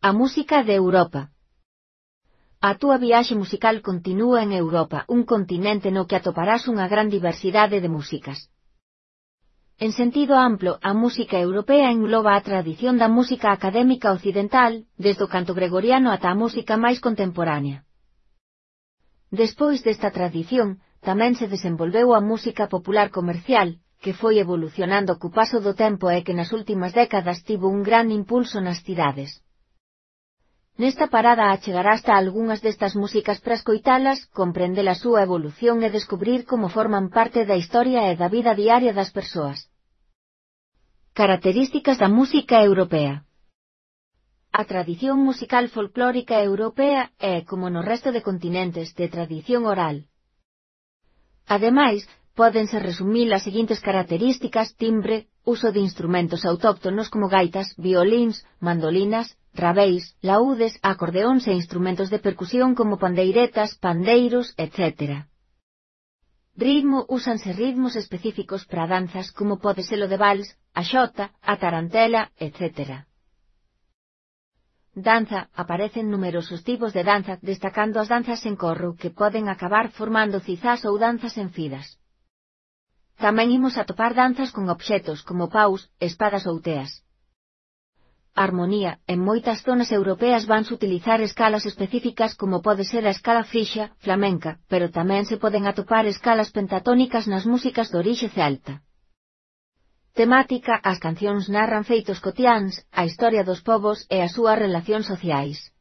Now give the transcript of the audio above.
A música de Europa. A túa viaxe musical continúa en Europa, un continente no que atoparás unha gran diversidade de músicas. En sentido amplo, a música europea engloba a tradición da música académica occidental, desde o canto gregoriano ata a música máis contemporánea. Despois desta tradición, tamén se desenvolveu a música popular comercial, que foi evolucionando co paso do tempo e que nas últimas décadas tivo un gran impulso nas cidades. Nesta parada achegarás a algunhas destas músicas para escoitalas, comprender a súa evolución e descubrir como forman parte da historia e da vida diaria das persoas. Características da música europea. A tradición musical folclórica europea é, como no resto de continentes, de tradición oral. Ademais, pódense resumir as seguintes características: timbre, uso de instrumentos autóctonos como gaitas, violíns, mandolinas, rabeis, laúdes, acordeóns e instrumentos de percusión como pandeiretas, pandeiros, etc. Ritmo, úsanse ritmos específicos para danzas como pode ser o de vals, a xota, a tarantela, etc. Danza, aparecen numerosos tipos de danza, destacando as danzas en corro que poden acabar formando cizás ou danzas en fidas. Tamén imos atopar danzas con obxetos como paus, espadas ou teas. Armonía, en moitas zonas europeas vanse utilizar escalas específicas como pode ser a escala frixa, flamenca, pero tamén se poden atopar escalas pentatónicas nas músicas de orixe celta. Temática, as cancións narran feitos cotiáns, a historia dos povos e as súas relacións sociais.